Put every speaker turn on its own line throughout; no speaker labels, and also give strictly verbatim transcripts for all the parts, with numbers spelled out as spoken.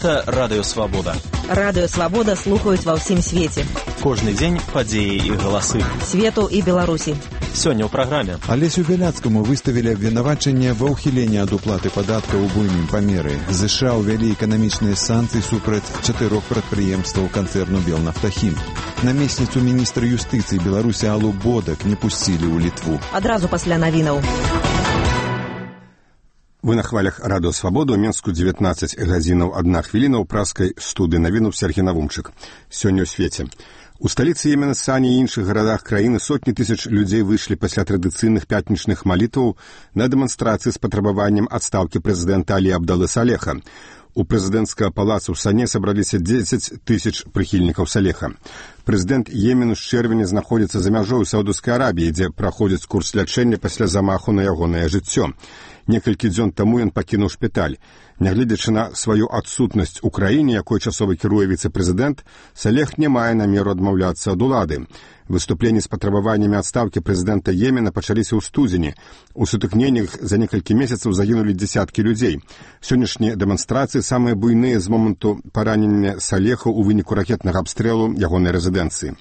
Гэта Радыё Свабода.
Радыё Свабода слухаюць ва ўсім свеце.
Кожны дзень падзеі і галасы.
Свету і Беларусі.
Сёння ў праграме.
Алесю Бяляцкаму выставілі абвінавачанне ва ўхіленні ад уплаты падаткаў у буйным памеры. ЗША ўвялі эканамічныя санкцыі супраць чатырох прадпрыемстваў канцэрну «Белнафтахім». Намесніцу міністра юстыцыі Беларусі Аллу Бодак не пусцілі ў Літву.
Адразу пасля навінаў.
Вы на хвалях Радыё Свабода, у Менску дзевятнаццаць гадзінаў адна хвіліна ў праскай студыі навінуў Сергій Навумчык. Сёння ў свеце. У сталіцы Йемена, Сане і іншых гарадах краіны сотні тысяч людзей выйшлі пасля традыцыйных пятнічных малітваў на дэманстрацыі з патрабаваннем адстаўкі прэзідэнта Алі Абдалы Салеха. У прэзідэнцкага палаца ў Сане сабраліся дзесяць тысяч прыхільнікаў Салеха. Прэзідэнт Йемену з чэрвеня знаходзіцца за мяжой у Саўдаўскай Арабіі, дзе праходзіць курс лячэння пасля замаху на ягонае жыццё. Некалькі дзён таму ён пакінуў шпіталь. Нягледзячы на сваю адсутнасць у краіне, якой часова кіруе віцэ-прэзідэнт, Салех не мае намеру адмаўляцца ад улады. Выступленні з патрабаваннямі адстаўкі прэзідэнта Йемена пачаліся ў студзені. У сутыкненнях за некалькі месяцаў загінулі дзесяткі людзей. Сённяшнія дэманстрацыі самыя буйныя з моманту паранення Салеха ў выніку ракетнага абстрэлу ягонай рэзідэнцыі.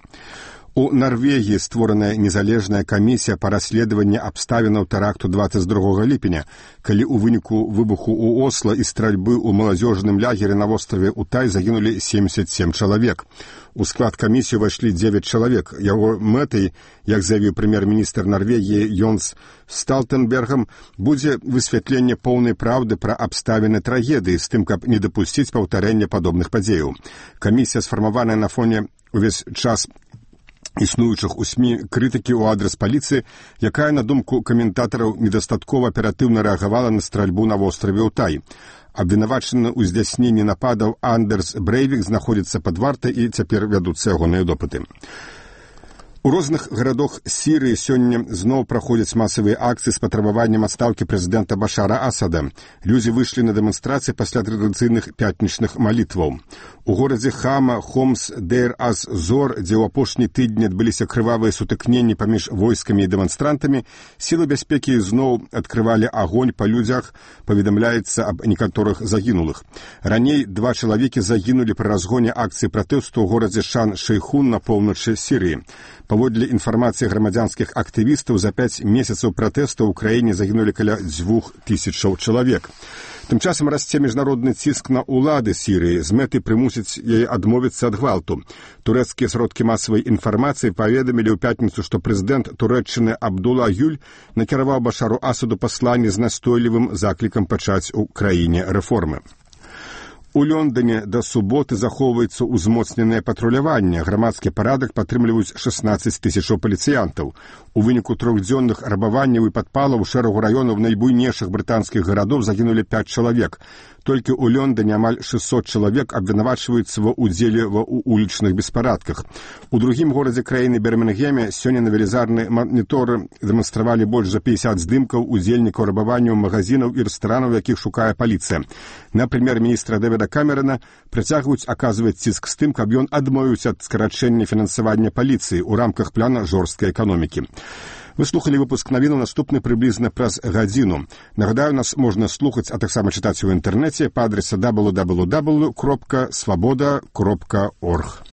У Нарвегіі створаная незалежная камісія па расследаванні абставінаў тэракту дваццаць другога ліпеня, калі ў выніку выбуху ў Осла і стральбы ў маладзёжным лягеры на востраве Утай загінулі семьдесят семь чалавек. У склад камісіі ўвайшлі дзевяць чалавек. Яго мэтай, як заявіў прэм'ер-міністр Нарвегіі Йонс Сталтэнбергам, будзе высвятленне поўнай праўды пра абставіны трагедыі з тым, каб не дапусціць паўтарэння падобных падзеяў. Камісія сфармаваная на фоне увесь час існуючых у СМІ крытыкі ў адрас паліцыі, якая, на думку каментатараў, недастаткова аператыўна рэагавала на стральбу на востраве Утай. Абвінавачаны ў здзяйсненні нападаў Андерс Брэйвік знаходзіцца пад вартай і цяпер вядуцца ягоныя допыты. У розных гарадах Сірыі сёння зноў праходзяць масавыя акцыі з патрабаваннем адстаўкі прэзідэнта Башара Асада. Людзі выйшлі на дэманстрацыі пасля традыцыйных пятнічных малітваў. У горадзе Хама, Хомс, Дейр-аз-Зор, дзе ў апошні тыдні адбыліся крывавыя сутыкненні паміж войскамі і дэманстрантамі, сілы бяспекі зноў адкрывалі агонь па людзях, паведамляецца аб некаторых загінулых. Раней два чалавекі загінулі пры разгоне акцыі пратэсту ў горадзе Шан-Шэйхун на поўначы Сірыі. Паводле інфармацыі грамадзянскіх актывістаў, за пяць месяцаў пратэсту ў краіне загінулі каля дзвюх тысячаў чалавек. Тым часам расце міжнародны ціск на ўлады Сірыі з мэтай прымусіць яе адмовіцца ад гвалту. Турэцкія сродкі масавай інфармацыі паведамілі ў пятніцу, што прэзідэнт Турэччыны Абдула Гюль накіраваў Башару Асаду пасланне з настойлівым заклікам пачаць у краіне рэформы. У Лондоне да суботы захоўваецца ўзмоцненае патруляванне. Грамадскі парадак падтрымліваюць шэснаццаць тысячаў паліцыянтаў. У выніку трохдзённых рабаванняў і падпалаў у шэрагу раёнаў найбуйнейшых брытанскіх гарадоў загінулі пяць чалавек. Толькі ў Лондоне амаль шэсцьсот чалавек абвінавачваюцца ва ўдзеле ва улічных беспарадках. У другім горадзе краіны Бірмінгеме сёння на велізарныя маніторы дэманстравалі больш за пятьдесят здымкаў удзельнікаў рабаванняў магазінаў і рэстаранаў, якіх шукае паліцыя. На прэм'ер-міністра Дэвіда Камерана працягваюць аказваць ціск з тым, каб ён адмовіўся ад скарачэння фінансавання паліцыі ў рамках плана жорсткай эканомікі. Вы слухали выпуск навіну, наступны прыблізна праз гадзіну. Нагадаю, нас можна слухаць, а таксама чытаць у інтэрнэце па адрасе дабл ю дабл ю дабл ю крапка свабода крапка орг.